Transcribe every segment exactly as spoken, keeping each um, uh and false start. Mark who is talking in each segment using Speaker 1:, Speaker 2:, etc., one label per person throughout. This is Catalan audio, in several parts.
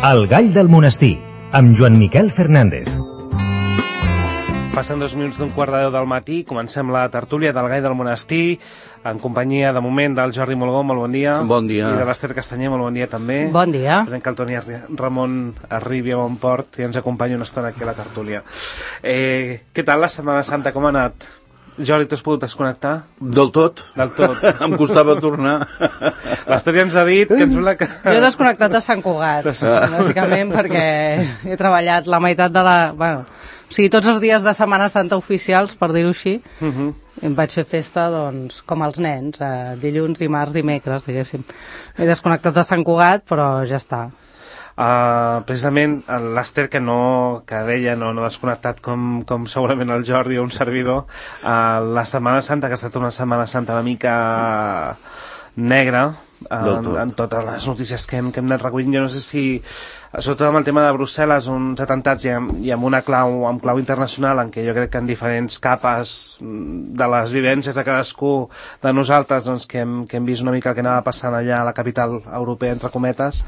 Speaker 1: El Gall del Monestir, amb Joan Miquel Fernández.
Speaker 2: Passen dos minuts d'un quart de deu del matí, comencem la tertúlia del Gall del Monestir, en companyia, de moment, del Jordi Molgó, molt bon dia.
Speaker 3: Bon dia.
Speaker 2: I de l'Ester Castanyer, molt bon dia també.
Speaker 4: Bon dia.
Speaker 2: Esperem que el Toni Ramon arribi a bon port i ens acompanyi una estona aquí a la tertúlia. Eh, què tal la Setmana Santa, com ha anat? Jordi, t'has pogut desconnectar?
Speaker 3: Del tot.
Speaker 2: Del tot.
Speaker 3: Em costava tornar.
Speaker 2: L'Ester ja ens ha dit que ens sembla que...
Speaker 4: Jo he desconnectat de Sant Cugat, bàsicament perquè he treballat la meitat de la... Bueno, o sigui, tots els dies de Setmana Santa oficials, per dir-ho així, uh -huh. em vaig fer festa, doncs, com els nens, eh, dilluns, dimarts, dimecres, diguéssim. He desconnectat de Sant Cugat, però ja està.
Speaker 2: Uh, precisament l'Ester, que no que deia no, no desconnectat com, com segurament el Jordi o un servidor, uh, la Setmana Santa, que ha estat una Setmana Santa una mica negra uh, en, en totes les notícies que hem, que hem anat recollint. Jo no sé si, sobretot amb el tema de Brussel·les, uns atentats i amb, i amb una clau, amb clau internacional, en què jo crec que en diferents capes de les vivències de cadascú de nosaltres, doncs, que, hem, que hem vist una mica el que anava passant allà a la capital europea, entre cometes,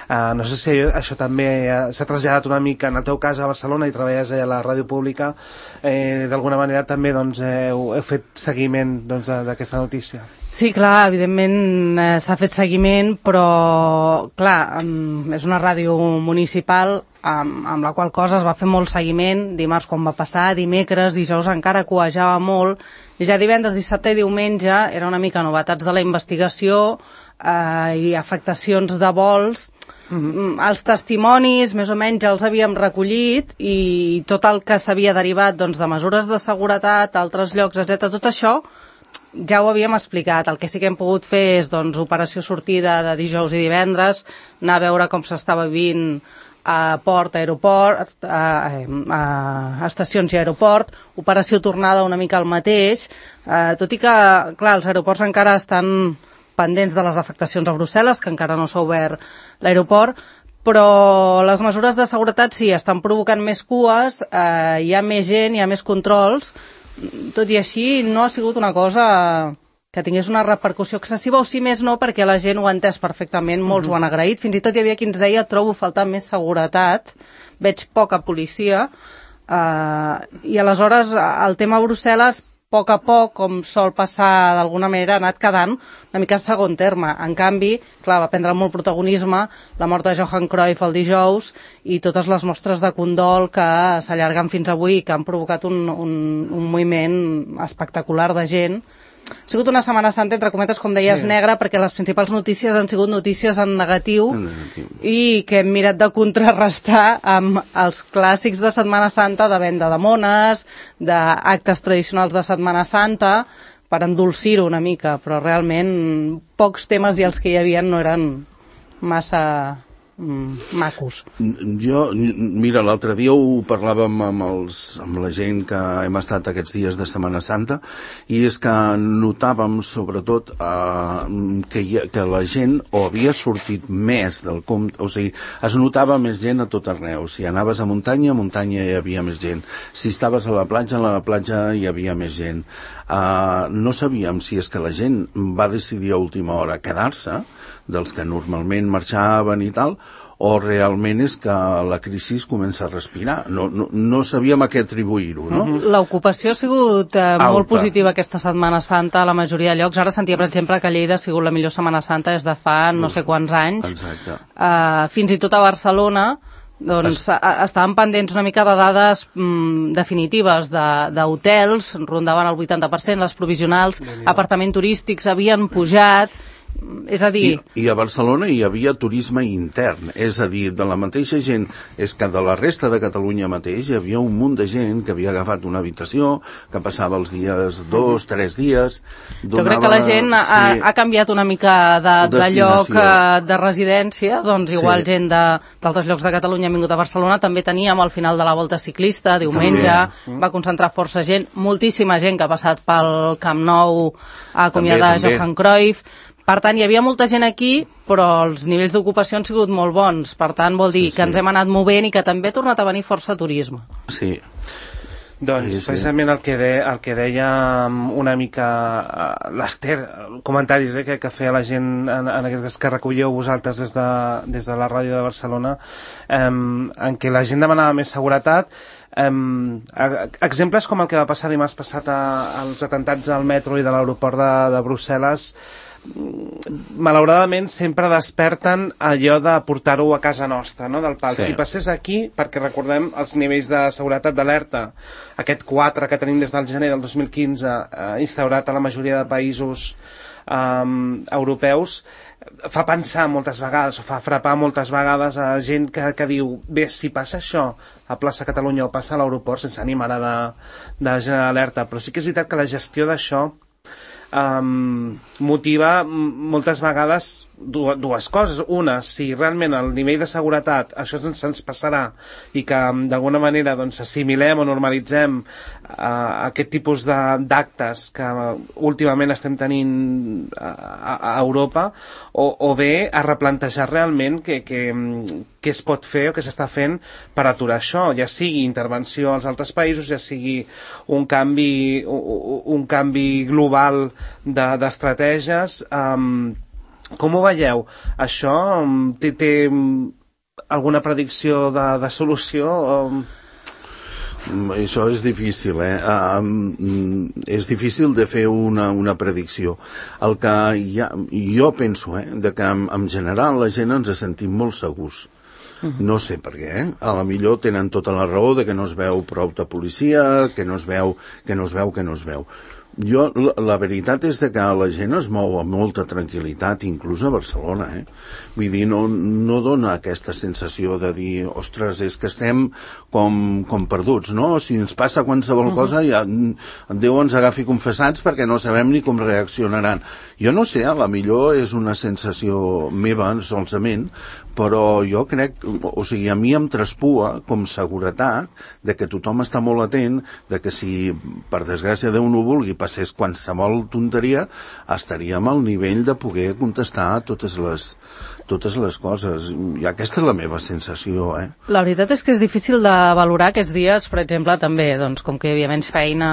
Speaker 2: uh, no sé si això també s'ha traslladat una mica, en el teu cas a Barcelona, i treballes allà a la ràdio pública, eh, d'alguna manera també doncs, heu, heu fet seguiment doncs, d'aquesta notícia.
Speaker 4: Sí, clar, evidentment eh, s'ha fet seguiment, però, clar, um, és una ràdio municipal amb, amb la qual cosa es va fer molt seguiment, dimarts quan va passar, dimecres, dijous encara coejava molt, i ja divendres, dissabte i diumenge era una mica novetats de la investigació eh, i afectacions de vols. Uh-huh. Els testimonis més o menys ja els havíem recollit i tot el que s'havia derivat doncs, de mesures de seguretat, altres llocs, etcètera, tot això ja ho havíem explicat. El que sí que hem pogut fer és doncs, operació sortida de dijous i divendres, anar a veure com s'estava vivint a port, aeroport, a, a, a estacions i aeroport, operació tornada una mica al mateix, eh, tot i que, clar, els aeroports encara estan pendents de les afectacions a Brussel·les, que encara no s'ha obert l'aeroport, però les mesures de seguretat sí, estan provocant més cues, eh, hi ha més gent, hi ha més controls. Tot i així, no ha sigut una cosa que tingués una repercussió excessiva, o si més no, perquè la gent ho ha entès perfectament, molts ho han agraït, fins i tot hi havia qui ens deia trobo faltar més seguretat, veig poca policia, eh, i aleshores el tema Brussel·les, a poc a poc, com sol passar d'alguna manera, ha anat quedant una mica segon terme. En canvi, clar, va prendre molt protagonisme la mort de Johan Cruyff el dijous i totes les mostres de condol que s'allarguen fins avui i que han provocat un, un, un moviment espectacular de gent. Ha sigut una Setmana Santa, entre cometes, com deies, sí. negra, perquè les principals notícies han sigut notícies en negatiu, en negatiu i que hem mirat de contrarrestar amb els clàssics de Setmana Santa, de venda de mones, d'actes tradicionals de Setmana Santa, per endolcir-ho una mica, però realment pocs temes i els que hi havia no eren massa mm, macos.
Speaker 3: Jo, mira, l'altre dia ho parlàvem amb, els, amb la gent que hem estat aquests dies de Setmana Santa, i és que notàvem sobretot eh, que, hi, que la gent o havia sortit més del compte, o sigui, es notava més gent a tot arreu. Si anaves a muntanya, a muntanya hi havia més gent. Si estaves a la platja, a la platja hi havia més gent. Uh, no sabíem si és que la gent va decidir a última hora quedar-se, dels que normalment marxaven i tal, o realment és que la crisi comença a respirar. No, no, no sabíem a què atribuir-ho, no?
Speaker 4: L'ocupació ha sigut eh, molt positiva aquesta Setmana Santa a la majoria de llocs. Ara sentia, per exemple, que Lleida ha sigut la millor Setmana Santa des de fa no sé quants anys.
Speaker 3: Exacte.
Speaker 4: Uh, fins i tot a Barcelona, doncs es... estaven pendents una mica de dades mm, definitives d'hotels, rondaven el vuitanta per cent, les provisionals, apartaments turístics havien pujat. És a dir...
Speaker 3: I, I a Barcelona hi havia turisme intern, és a dir, de la mateixa gent, és que de la resta de Catalunya mateix hi havia un munt de gent que havia agafat una habitació, que passava els dies dos, tres dies... Donava,
Speaker 4: jo crec que la gent ha,
Speaker 3: sí,
Speaker 4: ha canviat una mica de, de lloc de residència, doncs igual sí. gent d'altres llocs de Catalunya ha vingut a Barcelona, també teníem al final de la volta ciclista, diumenge, també. Va concentrar força gent, moltíssima gent que ha passat pel Camp Nou a acomiadar Johan Cruyff. Per tant, hi havia molta gent aquí, però els nivells d'ocupació han sigut molt bons. Per tant, vol dir sí, sí. que ens hem anat movent i que també ha tornat a venir força turisme.
Speaker 3: Sí.
Speaker 2: Doncs sí, sí. precisament el que, de, el que deia una mica uh, l'Ester, comentaris eh, que, que feia la gent en, en aquests que recolleu vosaltres des de, des de la ràdio de Barcelona, um, en què la gent demanava més seguretat. Um, exemples com el que va passar dimarts passat a, als atentats al metro i de l'aeroport de, de Brussel·les, malauradament sempre desperten allò de portar-ho a casa nostra, no? Del pal. Sí. Si passés aquí, perquè recordem els nivells de seguretat d'alerta, aquest quatre que tenim des del gener del dos mil quinze, eh, instaurat a la majoria de països um, europeus, fa pensar moltes vegades, o fa frapar moltes vegades a gent que, que diu, bé, si passa això a plaça Catalunya o passa a l'aeroport, sense ànim ara de, de generar alerta, però sí que és veritat que la gestió d'això um, motiva moltes vegades dues, dues coses. Una, si realment el nivell de seguretat això se'ns ens passarà i que d'alguna manera doncs, assimilem o normalitzem uh, aquest tipus d'actes que últimament estem tenint a, a, a Europa, o, o bé a replantejar realment què que, que es pot fer o què s'està fent per aturar això, ja sigui intervenció als altres països, ja sigui un canvi, un, un canvi global d'estratègies. Um, Com ho veieu? Això té, té alguna predicció de, de solució?
Speaker 3: Això és difícil, eh? Um, és difícil de fer una, una predicció. El que ja, jo penso, eh, de que en, en general la gent ens sentim molt segurs. No sé per què, eh? A la millor tenen tota la raó de que no es veu prou de policia, que no es veu, que no es veu, que no es veu. Jo, la, la veritat és de que la gent es mou amb molta tranquil·litat, inclús a Barcelona, eh? Vull dir, no, no dona aquesta sensació de dir, ostres, és que estem com, com perduts, no? Si ens passa qualsevol uh-huh. cosa, ja, Déu ens agafi confessats perquè no sabem ni com reaccionaran. Jo no sé, a la millor és una sensació meva, solament, però jo crec, o sigui, a mi em traspua com seguretat de que tothom està molt atent, de que si per desgràcia Déu no vulgui passés qualsevol tonteria, estaríem al nivell de poder contestar totes les, totes les coses. I aquesta és la meva sensació, eh?
Speaker 4: La veritat és que és difícil de valorar aquests dies, per exemple, també, doncs, com que hi havia menys feina,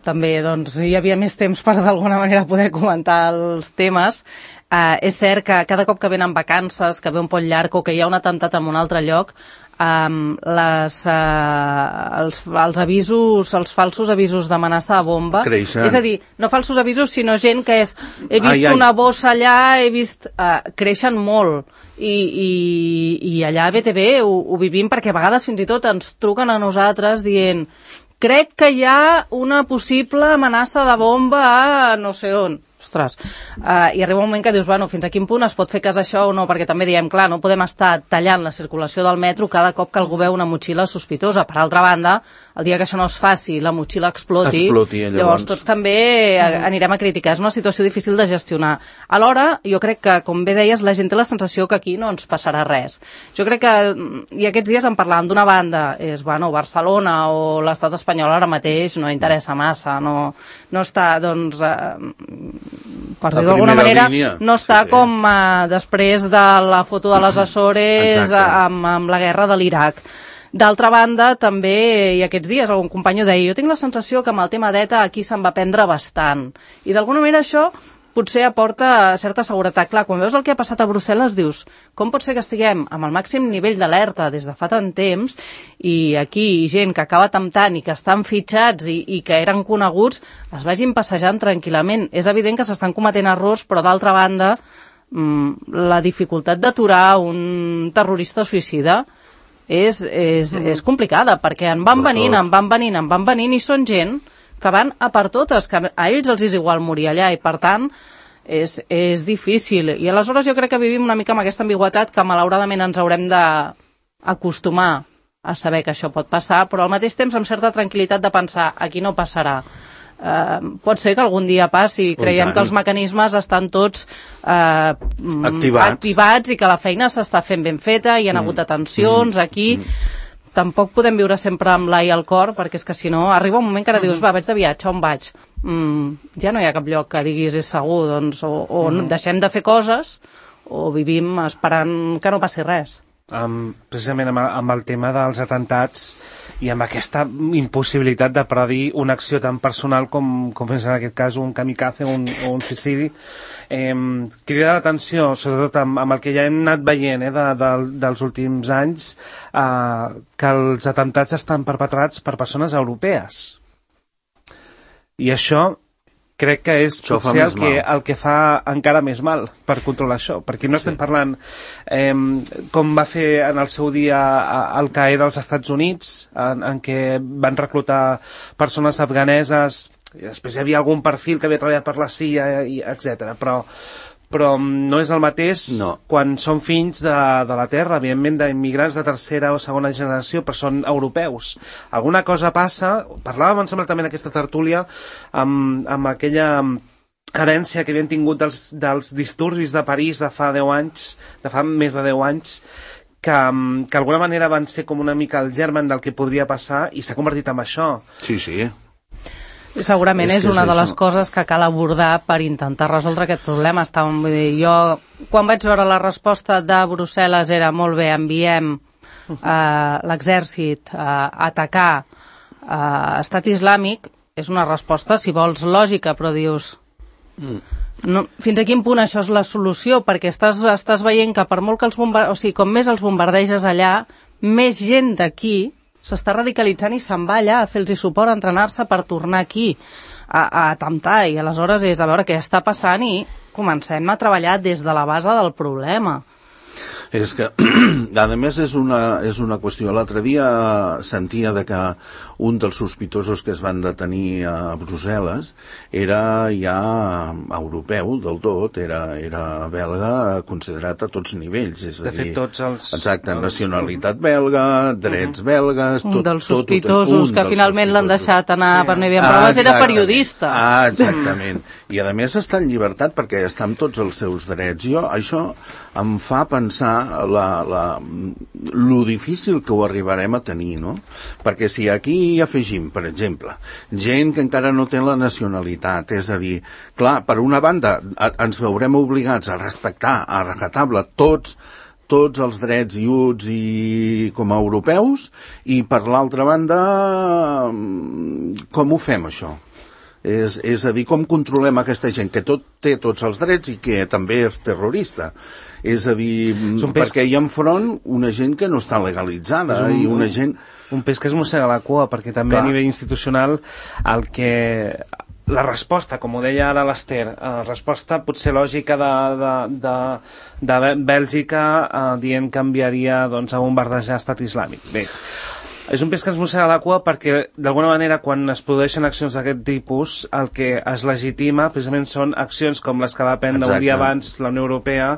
Speaker 4: també doncs, hi havia més temps per d'alguna manera poder comentar els temes. Uh, és cert que cada cop que venen vacances, que ve un pont llarg o que hi ha un atemptat en un altre lloc, um, les, uh, els, els avisos, els falsos avisos d'amenaça de bomba,
Speaker 3: creixen.
Speaker 4: És a dir, no falsos avisos, sinó gent que és, he vist ai, ai. una bossa allà, he vist... Uh, creixen molt. I, i, i allà a B T V ho, ho vivim perquè a vegades fins i tot ens truquen a nosaltres dient crec que hi ha una possible amenaça de bomba a no sé on. Ostres, uh, i arriba un moment que dius, bueno, fins a quin punt es pot fer cas això o no, perquè també diem, clar, no podem estar tallant la circulació del metro cada cop que algú veu una motxilla sospitosa. Per altra banda, el dia que això no es faci, la motxilla exploti,
Speaker 3: exploti llavors.
Speaker 4: llavors tots també anirem a criticar. És una situació difícil de gestionar. Alhora, jo crec que, com bé deies, la gent té la sensació que aquí no ens passarà res. Jo crec que, i aquests dies en parlàvem d'una banda, és, bueno, Barcelona o l'estat espanyol ara mateix no interessa massa, no, no està, doncs... Eh, per dir-ho d'alguna manera, línia. no està sí, sí. com uh, després de la foto de les Açores amb, amb la guerra de l'Iraq. D'altra banda, també, i aquests dies algun company ho deia, jo tinc la sensació que amb el tema d'ETA aquí se'n va prendre bastant. I d'alguna manera això potser aporta certa seguretat. Clar, quan veus el que ha passat a Brussel·les dius, com pot ser que estiguem amb el màxim nivell d'alerta des de fa tant temps i aquí gent que acaba temptant i que estan fitxats i, i que eren coneguts es vagin passejant tranquil·lament. És evident que s'estan cometent errors, però d'altra banda mmm, la dificultat d'aturar un terrorista suïcida és, és, mm. és complicada, perquè en van venint, en van venint, en van venint i són gent que van a per totes, que a ells els és igual morir allà i per tant és, és difícil. I aleshores jo crec que vivim una mica amb aquesta ambigüetat que malauradament ens haurem d'acostumar a saber que això pot passar, però al mateix temps amb certa tranquil·litat de pensar aquí no passarà. Uh, pot ser que algun dia passi, creiem que els mecanismes estan tots uh,
Speaker 3: activats.
Speaker 4: activats i que la feina s'està fent ben feta, hi ha mm. hagut atencions mm. aquí... Mm. Tampoc podem viure sempre amb l'ai al cor, perquè és que si no, arriba un moment que ara dius, va, vaig de viatge, on vaig? Mm, ja no hi ha cap lloc que diguis és segur, doncs, o, o mm. deixem de fer coses, o vivim esperant que no passi res.
Speaker 2: Um, precisament amb, amb el tema dels atemptats i amb aquesta impossibilitat de predir una acció tan personal com, com és en aquest cas un kamikaze o un, o un suïcidi. Eh, crida l'atenció, sobretot amb, amb el que ja hem anat veient eh, de, de, dels últims anys, eh, que els atemptats estan perpetrats per persones europees. I això crec que és
Speaker 3: això
Speaker 2: potser el que, el que fa encara més mal per controlar això, perquè no estem sí. parlant eh, com va fer en el seu dia Al Qaeda als Estats Units, en, en què van reclutar persones afganeses, i després hi havia algun perfil que havia treballat per la C I A, etcètera. Però però no és el mateix no. quan són fills de, de la terra, evidentment d'immigrants de tercera o segona generació, però són europeus. Alguna cosa passa, parlàvem, em sembla, també en aquesta tertúlia, amb, amb aquella herència que havien tingut dels, dels disturbis de París de fa deu anys, de fa més de deu anys, que, que d'alguna manera van ser com una mica el germen del que podria passar i s'ha convertit en això.
Speaker 3: Sí, sí.
Speaker 4: Segurament és, és una és de les coses que cal abordar per intentar resoldre aquest problema. Estàvem, vull dir, jo, quan vaig veure la resposta de Brussel·les era molt bé, enviem eh, l'exèrcit a atacar eh, Estat Islàmic, és una resposta, si vols, lògica, però dius... No, fins a quin punt això és la solució? Perquè estàs, estàs veient que per molt que els bombardeges, o sigui, com més els bombardeges allà, més gent d'aquí s'està radicalitzant i se'n va allà a fer-los suport, a entrenar-se per tornar aquí a, a atemptar, i aleshores és a veure què està passant i comencem a treballar des de la base del problema.
Speaker 3: És que, a més, és una, és una qüestió. L'altre dia sentia de que un dels sospitosos que es van detenir a Brussel·les era ja europeu del tot, era, era belga considerat a tots nivells. És a
Speaker 2: de fet,
Speaker 3: dir,
Speaker 2: tots els...
Speaker 3: exacte, nacionalitat belga, drets belgues...
Speaker 4: Un
Speaker 3: tot,
Speaker 4: dels
Speaker 3: tot,
Speaker 4: sospitosos
Speaker 3: tot, un
Speaker 4: que
Speaker 3: dels
Speaker 4: finalment l'han deixat anar
Speaker 2: sí.
Speaker 4: per no hi havia proves, era periodista.
Speaker 3: Ah, exactament. I a més està en llibertat perquè està amb tots els seus drets. Jo, això em fa pensar la, la, lo difícil que ho arribarem a tenir, no? Perquè si aquí hi afegim, per exemple, gent que encara no té la nacionalitat, és a dir, clar, per una banda ens veurem obligats a respectar a rajatabla tots tots els drets i uts i com a europeus, i per l'altra banda com ho fem això? És, és a dir, com controlem aquesta gent que tot té tots els drets i que també és terrorista? És a dir, és perquè hi ha enfront una gent que no està legalitzada un, i una gent...
Speaker 2: Un pes que es mossega la cua, perquè també Clar. a nivell institucional el que... La resposta, com ho deia ara l'Ester, la resposta potser lògica de, de, de, de Bèlgica eh, dient que enviaria doncs, a bombardejar Estat Islàmic. Bé, és un pes que ens mossega la cua perquè, d'alguna manera, quan es produeixen accions d'aquest tipus, el que es legitima precisament són accions com les que va prendre Exacte. un dia abans la Unió Europea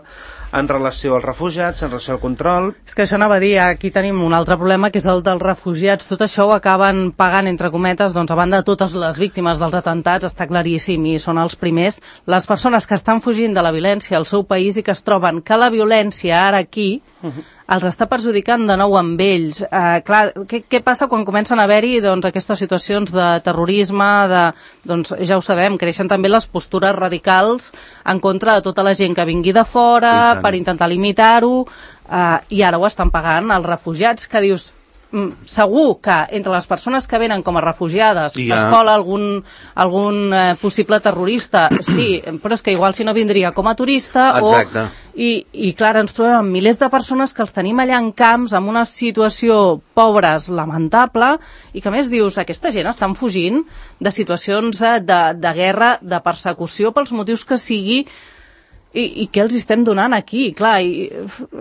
Speaker 2: en relació als refugiats, en relació al control...
Speaker 4: És que això anava a dir, aquí tenim un altre problema, que és el dels refugiats. Tot això ho acaben pagant, entre cometes, doncs a banda de totes les víctimes dels atemptats, està claríssim, i són els primers, les persones que estan fugint de la violència al seu país i que es troben que la violència ara aquí uh-huh. els està perjudicant de nou amb ells. Eh, clar, què, què passa quan comencen a haver-hi doncs, aquestes situacions de terrorisme, de, doncs ja ho sabem, creixen també les postures radicals en contra de tota la gent que vingui de fora, per intentar limitar-ho, eh, i ara ho estan pagant els refugiats, que dius, mm, segur que entre les persones que venen com a refugiades ja. es cola algun, algun eh, possible terrorista, sí, però és que igual si no vindria com a turista.
Speaker 3: Exacte.
Speaker 4: O... I, I clar, ens trobem amb milers de persones que els tenim allà en camps, amb una situació pobres, lamentable, i que a més dius, aquesta gent estan fugint de situacions de, de guerra, de persecució, pels motius que sigui. I, i què els estem donant aquí? Clar, i,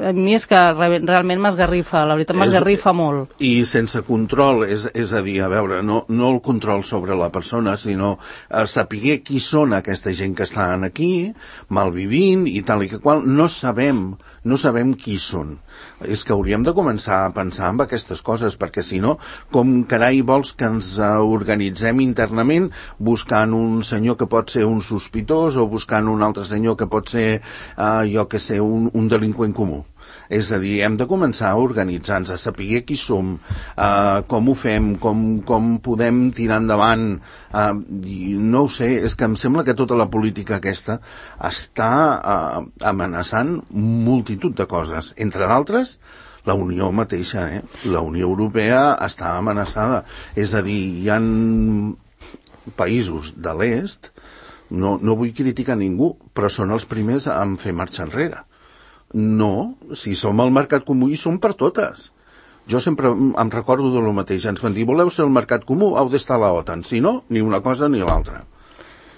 Speaker 4: a mi és que re, realment m'esgarrifa, la veritat m'esgarrifa molt.
Speaker 3: I sense control, és, és a dir, a veure, no, no el control sobre la persona, sinó a saber qui són aquesta gent que estan aquí, malvivint i tal i que qual, no sabem, no sabem qui són. És que hauríem de començar a pensar en aquestes coses, perquè si no, com carai vols que ens organitzem internament buscant un senyor que pot ser un sospitós o buscant un altre senyor que pot ser Uh, jo que sé, un, un delinqüent comú. És a dir, hem de començar a organitzar-nos, a saber qui som, uh, com ho fem, com, com podem tirar endavant. Uh, i no ho sé, és que em sembla que tota la política aquesta està uh, amenaçant multitud de coses. Entre d'altres, la Unió mateixa, eh? La Unió Europea està amenaçada. És a dir, hi ha països de l'est, no, no vull criticar ningú, però són els primers a fer marxa enrere. No, si som al mercat comú i som per totes. Jo sempre em recordo de lo mateix. Ens van dir, voleu ser el mercat comú, heu d'estar a la OTAN. Si no, ni una cosa ni l'altra.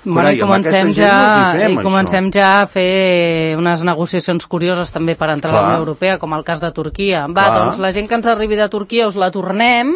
Speaker 4: Bueno, i comencem, ja, i comencem ja a fer unes negociacions curioses també per entrar Clar. a la Unió Europea, com el cas de Turquia. Va, Clar. doncs la gent que ens arribi de Turquia us la tornem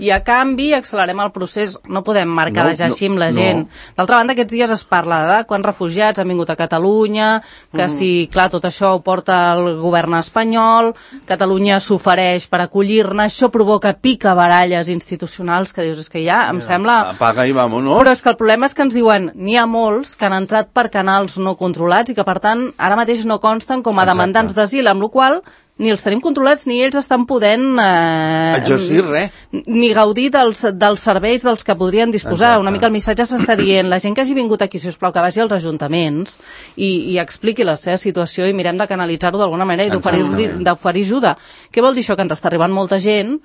Speaker 4: i a canvi accelerem el procés. No podem marcar no, ja així amb la no, gent. No. D'altra banda, aquests dies es parla de quants refugiats han vingut a Catalunya, que mm. si, clar, tot això ho porta el govern espanyol, Catalunya s'ofereix per acollir-ne, això provoca picabaralles institucionals que dius, és que ja em Mira, sembla...
Speaker 3: Apaga i vámonos.
Speaker 4: Però és que el problema és que ens diuen n'hi ha molts que han entrat per canals no controlats i que, per tant, ara mateix no consten com a Exacte. demandants d'asil, amb la qual cosa ni els tenim controlats ni ells estan podent eh,
Speaker 3: exercir res,
Speaker 4: ni gaudir dels, dels serveis dels que podrien disposar. Exacte. Una mica el missatge s'està dient, la gent que hagi vingut aquí, si us plau, que vagi als ajuntaments i, i expliqui la seva situació i mirem de canalitzar-ho d'alguna manera i d'oferir ajuda. Què vol dir això? Que ens està arribant molta gent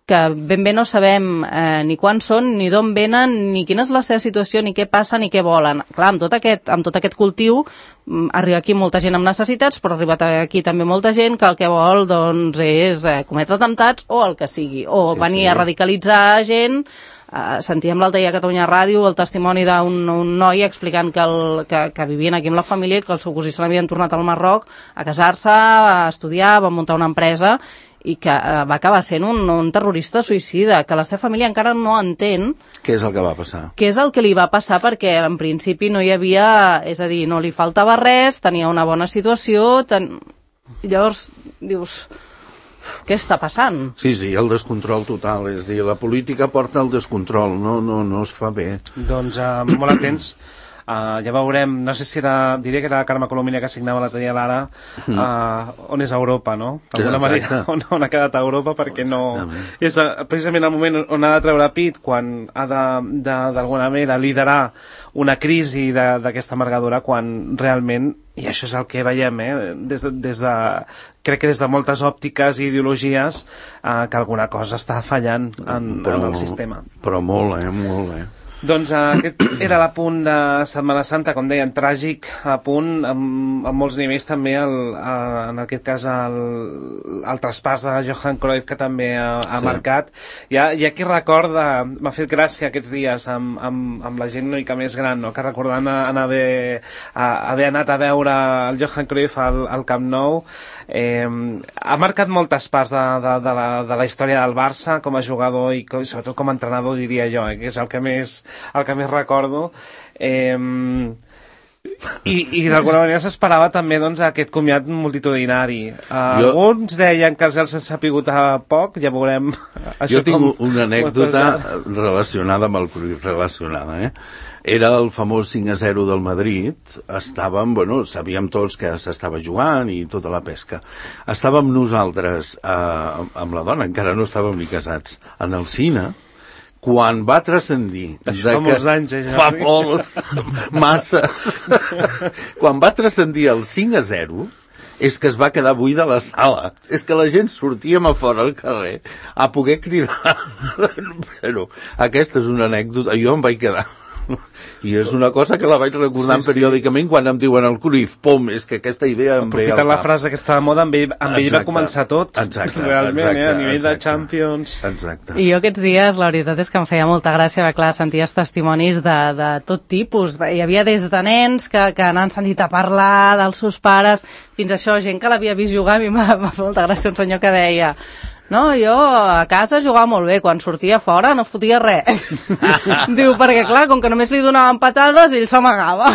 Speaker 4: que ben bé no sabem eh, ni quan són, ni d'on venen, ni quina és la seva situació, ni què passa, ni què volen. Clar, amb tot aquest, amb tot aquest cultiu arriba aquí molta gent amb necessitats, però ha arribat aquí també molta gent que el que vol doncs, és eh, cometre atemptats o el que sigui, o sí, venir sí. a radicalitzar gent. Uh, sentíem l'altre dia a Catalunya Ràdio el testimoni d'un un noi explicant que, el, que, que vivien aquí amb la família i que el seu cosí se l'havien tornat al Marroc a casar-se, a estudiar, va muntar una empresa i que uh, va acabar sent un, un terrorista suïcida, que la seva família encara no entén
Speaker 3: què és el que va passar.
Speaker 4: Què és el que li va passar, perquè en principi no hi havia, és a dir, no li faltava res, tenia una bona situació, ten... llavors dius... Què està passant?
Speaker 3: Sí, sí, el descontrol total, és dir, la política porta el descontrol, no, no, no es fa bé.
Speaker 2: Doncs uh, molt atents, uh, ja veurem, no sé si era, diria que era la Carme Colomina que signava l'altre dia l'Ara, uh, on és Europa, no? D'alguna manera, on, on ha quedat Europa, perquè no... És uh, precisament el moment on ha de treure pit, quan ha de, de, d'alguna manera, liderar una crisi d'aquesta amargadura, quan realment, i això és el que veiem, eh, des, de, des de, crec que des de moltes òptiques i ideologies, eh, que alguna cosa està fallant en, però, en el sistema.
Speaker 3: Però molt, eh, molt, eh.
Speaker 2: Doncs uh, aquest era l'apunt de Setmana Santa, com deien, tràgic apunt, amb, amb molts nivells també, el, uh, en aquest cas el, el traspàs de Johan Cruyff, que també ha, ha sí. marcat. Hi ha, hi ha qui recorda, m'ha fet gràcia aquests dies amb, amb, amb la gent una mica més gran, no? Que recordant en haver, a, haver anat a veure el Johan Cruyff al, al Camp Nou, eh, ha marcat moltes parts de, de, de, la, de la història del Barça com a jugador i com, sobretot com a entrenador, diria jo, eh, que és el que més el que més recordo, eh, i, i d'alguna manera s'esperava també doncs, aquest comiat multitudinari. Uh, jo, alguns deien que els han sapigut a poc, ja veurem
Speaker 3: això. Jo tinc com, una anècdota relacionada amb el Cruyff, relacionada, eh? Era el famós cinc a zero del Madrid, estàvem, bueno, sabíem tots que s'estava jugant i tota la pesca. Estàvem nosaltres, eh, amb la dona, encara no estàvem ni casats, en el cine, quan va transcendir...
Speaker 2: Això fa molts anys, eh,
Speaker 3: Fa molts, masses. Quan va transcendir el cinc a zero, és que es va quedar buida la sala. És que la gent sortíem a fora al carrer a poder cridar. Però aquesta és una anècdota. Jo em vaig quedar... I és una cosa que la vaig recordant sí, sí. periòdicament quan em diuen el Cruyff, pom, és que aquesta idea em ve al cap.
Speaker 2: La frase que està de moda, amb ell, amb ell va començar tot.
Speaker 3: Exacte,
Speaker 2: realment,
Speaker 3: exacte,
Speaker 2: eh, a nivell
Speaker 3: exacte,
Speaker 2: de Champions.
Speaker 3: Exacte.
Speaker 4: I jo aquests dies, la veritat és que em feia molta gràcia, clar, senties testimonis de, de tot tipus. Hi havia des de nens que, que n'han sentit a parlar dels seus pares, fins a això, gent que l'havia vist jugar. A mi m'ha fet molta gràcia un senyor que deia... No, jo a casa jugava molt bé, quan sortia fora no fotia res. Diu, perquè clar, com que només li donaven patades, ell s'amagava.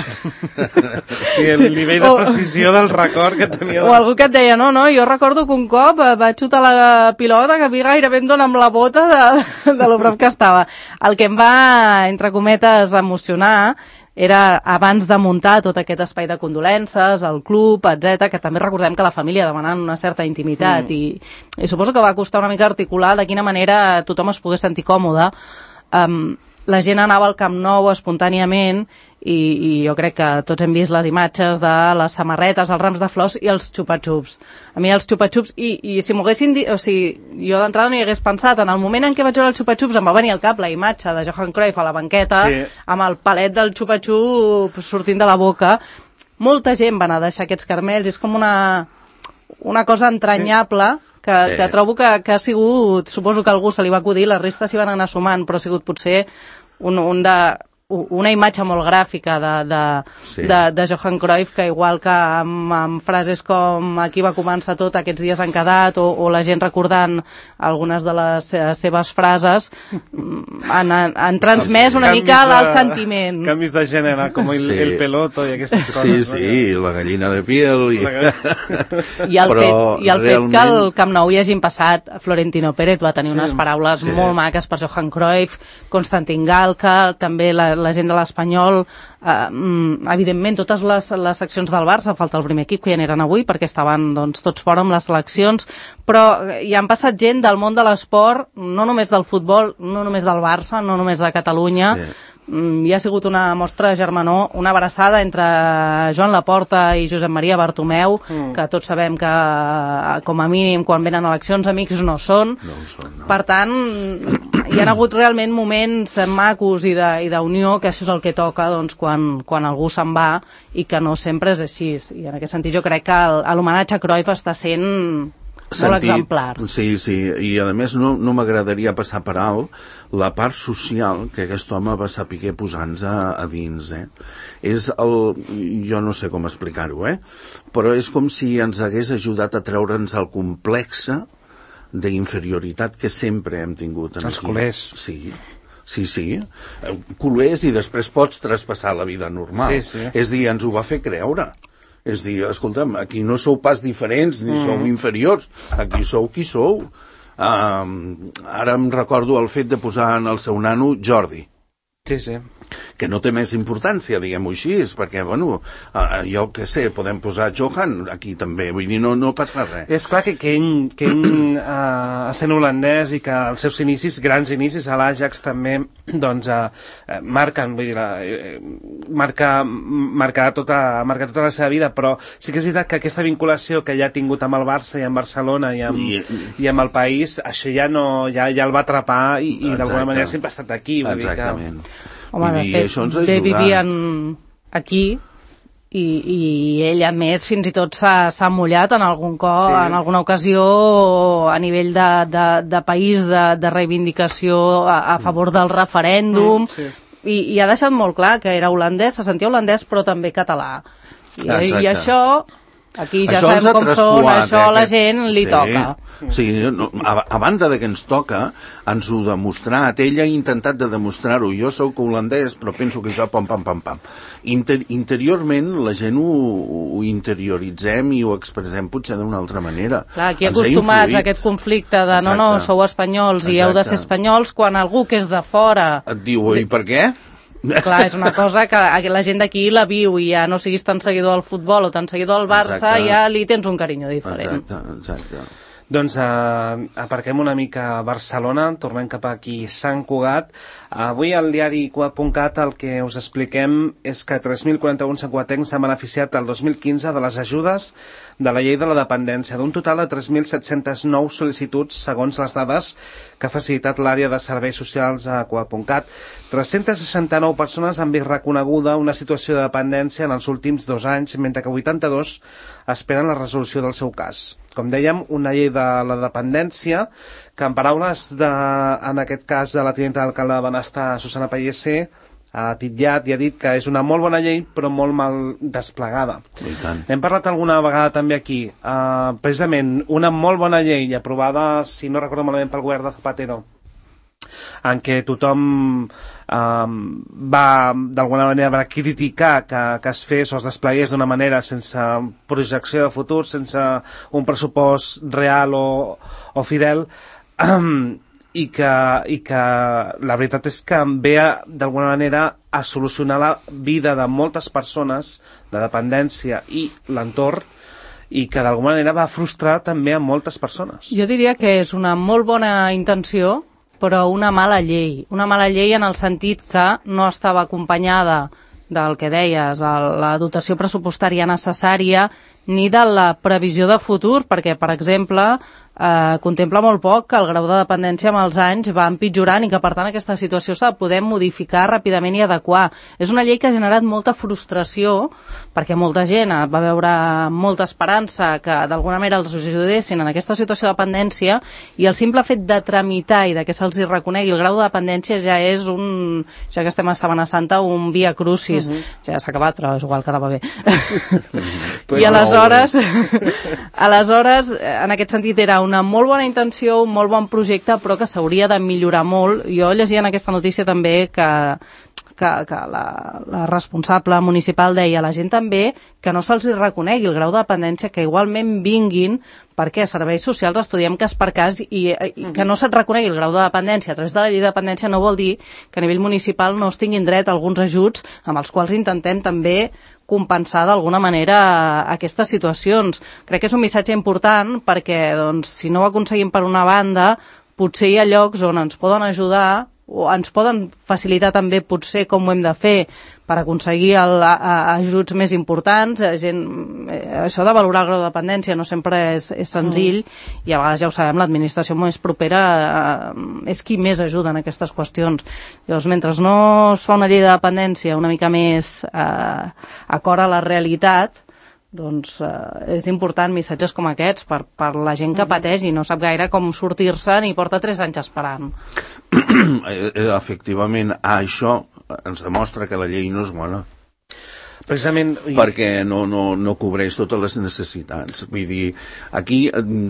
Speaker 2: Sí, el nivell de precisió del record que tenia.
Speaker 4: O algú que et deia, no, no, jo recordo que un cop vaig xutar la pilota que a mi gairebé em dona amb la bota de, de lo prop que estava. El que em va, entre cometes, emocionar era abans de muntar tot aquest espai de condolences, el club, etcètera, que també recordem que la família demanant una certa intimitat mm. i, i suposo que va costar una mica articular de quina manera tothom es pogués sentir còmode. Um, la gent anava al Camp Nou espontàniament i, i jo crec que tots hem vist les imatges de les samarretes, els rams de flors i els xupa-xups. A mi els xupa-xups, i, i si m'ho haguessin dit, o sigui, jo d'entrada no hi hagués pensat, en el moment en què vaig veure els xupa-xups em va venir al cap la imatge de Johan Cruyff a la banqueta, sí, amb el palet del xupa-xup sortint de la boca. Molta gent va anar a deixar aquests carmells, és com una, una cosa entranyable, sí, que, sí, que trobo que, que ha sigut, suposo que algú se li va acudir, la resta s'hi van anar sumant, però ha sigut potser un, un de... una imatge molt gràfica de, de, sí, de, de Johan Cruyff, que igual que amb, amb frases com aquí va començar tot, aquests dies han quedat, o, o la gent recordant algunes de les seves frases, han, han transmès una
Speaker 2: canvis
Speaker 4: mica
Speaker 2: de,
Speaker 4: el sentiment.
Speaker 2: Canvis de gènere, com el, sí, el peloto i aquestes coses.
Speaker 3: Sí, sí, no? La gallina de piel. I,
Speaker 4: I el, fet, i el realment... fet que al Camp Nou hi hagin passat, Florentino Pérez va tenir, sí, unes paraules, sí, molt maques per Johan Cruyff, Konstantin Galka, també la la gent de l'Espanyol, eh, evidentment totes les, les seccions del Barça, falta el primer equip que ja n'eren avui perquè estaven doncs, tots fora amb les seleccions, però hi han passat gent del món de l'esport, no només del futbol, no només del Barça, no només de Catalunya, sí, hi ha sigut una mostra de germanor, una abraçada entre Joan Laporta i Josep Maria Bartomeu, mm, que tots sabem que com a mínim quan venen eleccions amics no són,
Speaker 3: no són, no.
Speaker 4: Per tant hi ha hagut realment moments macos i d'unió, que això és el que toca doncs, quan, quan algú se'n va, i que no sempre és així, i en aquest sentit jo crec que l'homenatge a Cruyff està sent
Speaker 3: sentit,
Speaker 4: molt exemplar.
Speaker 3: Sí, sí, i a més no, no m'agradaria passar per alt la part social que aquest home va saber posar-nos a, a dins, eh? És el... jo no sé com explicar-ho, eh? Però és com si ens hagués ajudat a treure'ns el complexe d'inferioritat que sempre hem tingut. En
Speaker 2: els
Speaker 3: aquí.
Speaker 2: Culers.
Speaker 3: Sí, sí, sí. Culers i després pots traspassar la vida normal.
Speaker 2: Sí, sí.
Speaker 3: És dir, ens ho va fer creure. És dir, escolta'm, aquí no sou pas diferents ni mm. sou inferiors, aquí sou qui sou. Um, ara em recordo el fet de posar en el seu nano Jordi.
Speaker 2: Sí, sí.
Speaker 3: Que no té més importància, diguem-ho així, perquè, bueno, uh, jo què sé, podem posar Johan aquí també, vull dir, no, no passa res.
Speaker 2: És clar que, que ell, que ell uh, sent holandès i que els seus inicis, grans inicis a l'Ajax també, doncs, uh, marquen, vull dir, la, uh, marca, marcarà tota, marca tota la seva vida, però sí que és veritat que aquesta vinculació que ja ha tingut amb el Barça i amb Barcelona i amb, I, i amb el país, això ja, no, ja, ja el va atrapar i, i d'alguna manera sempre ha estat aquí. Vull
Speaker 3: Exactament.
Speaker 2: Dir que...
Speaker 4: Home, de fet, bé vivien aquí i, i ell, a més, fins i tot s'ha mullat en algun cop, sí, en alguna ocasió a nivell de, de, de país, de, de reivindicació a, a favor del referèndum, mm, sí, i, i ha deixat molt clar que era holandès, se sentia holandès però també català. I, i això... Aquí ja
Speaker 3: això
Speaker 4: sabem com són, això a la gent li
Speaker 3: sí,
Speaker 4: toca.
Speaker 3: Sí, no, a, a banda de que ens toca, ens ho demostrat. Ell ha intentat de demostrar-ho. Jo sóc holandès, però penso que jo pam, pam, pam, pam. Inter, interiorment la gent ho, ho interioritzem i ho expressem potser d'una altra manera.
Speaker 4: Clar, aquí acostumats a aquest conflicte de no, no, sou espanyols i Exacte. heu de ser espanyols, quan algú que és de fora...
Speaker 3: Et diu, i per què?
Speaker 4: Clar, és una cosa que la gent d'aquí la viu i ja no siguis tan seguidor del futbol o tan seguidor del Barça, exacte, ja li tens un carinyo diferent.
Speaker 3: Exacte, exacte.
Speaker 2: Doncs uh, aparquem una mica a Barcelona, tornem cap aquí Sant Cugat. Avui al diari Cugat punt cat el que us expliquem és que tres mil quaranta-un santcugatencs s'han beneficiat el dos mil quinze de les ajudes de la llei de la dependència, d'un total de tres mil set-cents nou sol·licituds segons les dades que ha facilitat l'àrea de serveis socials a Cugat punt cat. tres-centes seixanta-nou persones han vist reconeguda una situació de dependència en els últims dos anys, mentre que vuitanta-dos esperen la resolució del seu cas. Com dèiem, una llei de la dependència que, en paraules, de, en aquest cas, de la tinenta d'alcalde de Benestar, Susana Pallese, ha titllat i ha dit que és una molt bona llei, però molt mal desplegada. Hem parlat alguna vegada també aquí. Uh, precisament, una molt bona llei aprovada, si no recordo malament, pel govern de Zapatero, en què tothom um, va d'alguna manera va criticar que, que es fes o es desplegués d'una manera sense projecció de futur, sense un pressupost real o, o fidel, um, i, que, i que la veritat és que ve d'alguna manera a solucionar la vida de moltes persones de dependència i l'entorn, i que d'alguna manera va frustrar també a moltes persones.
Speaker 4: Jo diria que és una molt bona intenció, però una mala llei. Una mala llei en el sentit que no estava acompanyada del que deies, la dotació pressupostària necessària, ni de la previsió de futur, perquè, per exemple, eh, contempla molt poc que el grau de dependència amb els anys va empitjorant i que, per tant, aquesta situació s'ha de poder modificar ràpidament i adequar. És una llei que ha generat molta frustració, perquè molta gent va veure molta esperança que, d'alguna manera, els ajudessin en aquesta situació de dependència, i el simple fet de tramitar i de que se'ls reconegui el grau de dependència ja és un, ja que estem a Setmana Santa, un via crucis. Uh -huh. Ja s'ha acabat, però és igual, quedava bé. I aleshores, aleshores, en aquest sentit, era una molt bona intenció, un molt bon projecte, però que s'hauria de millorar molt. Jo llegia en aquesta notícia també que que, que la, la responsable municipal deia a la gent també que no se'ls reconegui el grau de dependència, que igualment vinguin, perquè a serveis socials estudiem cas per cas, i, i que no se't reconegui el grau de dependència a través de la llei de dependència no vol dir que a nivell municipal no es tinguin dret a alguns ajuts amb els quals intentem també compensar d'alguna manera aquestes situacions. Crec que és un missatge important perquè, doncs, si no ho aconseguim per una banda, potser hi ha llocs on ens poden ajudar o ens poden facilitar també potser com ho hem de fer per aconseguir el, a, a, ajuts més importants. Gent, eh, això de valorar el grau de dependència no sempre és, és senzill, mm. i a vegades ja ho sabem, l'administració més propera eh, és qui més ajuda en aquestes qüestions. Llavors, mentre no es fa una llei de dependència una mica més eh, acord a la realitat, doncs eh, és important missatges com aquests per, per la gent que pateix i no sap gaire com sortir-se'n i porta tres anys esperant.
Speaker 3: Efectivament, això ens demostra que la llei no és bona.
Speaker 2: Precisament...
Speaker 3: Perquè no, no, no cobreix totes les necessitats. Vull dir, aquí,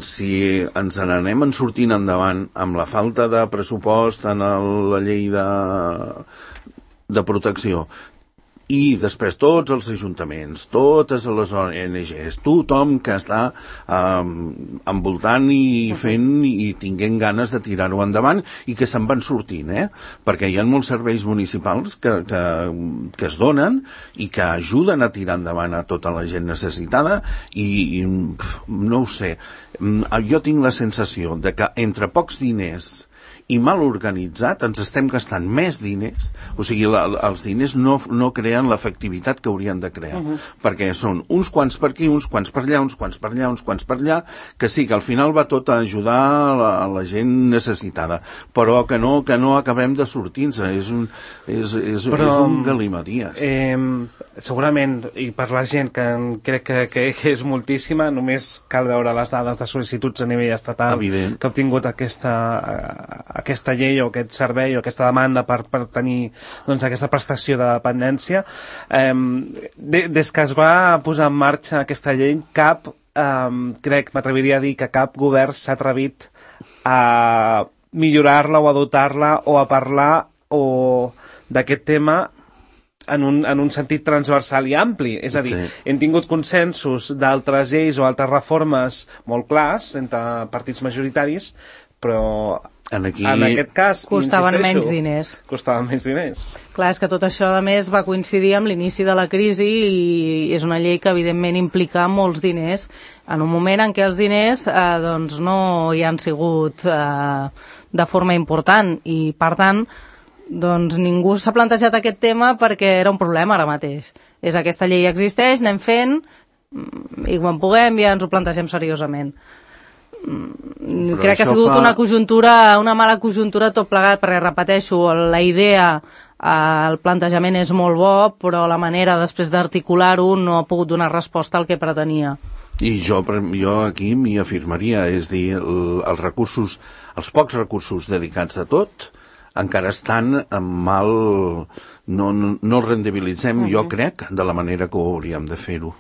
Speaker 3: si ens n'anem en sortint endavant amb la falta de pressupost en el, la llei de, de protecció, i després tots els ajuntaments, totes les O N Ges, tothom que està um, envoltant i fent i tinguent ganes de tirar-ho endavant i que se'n van sortint, eh? Perquè hi ha molts serveis municipals que, que, que es donen i que ajuden a tirar endavant a tota la gent necessitada i, i pf, no ho sé, jo tinc la sensació de que entre pocs diners i mal organitzat ens estem gastant més diners, o sigui, la, els diners no, no creen l'efectivitat que haurien de crear, uh-huh. perquè són uns quants per aquí, uns quants per allà, uns quants per allà, uns quants per allà, que sí, que al final va tot a ajudar a la, a la gent necessitada, però que no, que no acabem de sortir-nos, és un, és, és, però, és un galimaties.
Speaker 2: Eh, segurament, i per la gent que crec que, que, que és moltíssima, només cal veure les dades de sol·licituds a nivell estatal
Speaker 3: Evident.
Speaker 2: que ha obtingut aquesta aquesta llei o aquest servei o aquesta demanda per, per tenir doncs, aquesta prestació de dependència. Eh, de, des que es va posar en marxa aquesta llei, cap, eh, crec, m'atreviria a dir que cap govern s'ha atrevit a millorar-la o a dotar-la o a parlar o d'aquest tema en un, en un sentit transversal i ampli. És a dir, sí. hem tingut consensos d'altres lleis o altres reformes molt clars entre partits majoritaris, però en, aquí... en aquest cas,
Speaker 4: costaven menys diners.
Speaker 2: Costaven menys diners.
Speaker 4: Clar, és que tot això, a més, va coincidir amb l'inici de la crisi i és una llei que, evidentment, implica molts diners en un moment en què els diners eh, doncs no hi han sigut eh, de forma important i, per tant, doncs ningú s'ha plantejat aquest tema perquè era un problema ara mateix. És aquesta llei existeix, anem fent i quan puguem ja ens ho plantegem seriosament. Però crec que ha sigut fa... una conjuntura, una mala conjuntura tot plegat, perquè repeteixo, la idea, el plantejament és molt bo, però la manera després d'articular-ho no ha pogut donar resposta al que pretenia.
Speaker 3: I jo, jo aquí m'hi afirmaria, és dir, el, els recursos, els pocs recursos dedicats a tot encara estan mal, no, no, no els rendibilitzem, uh-huh. jo crec, de la manera que ho hauríem de fer-ho.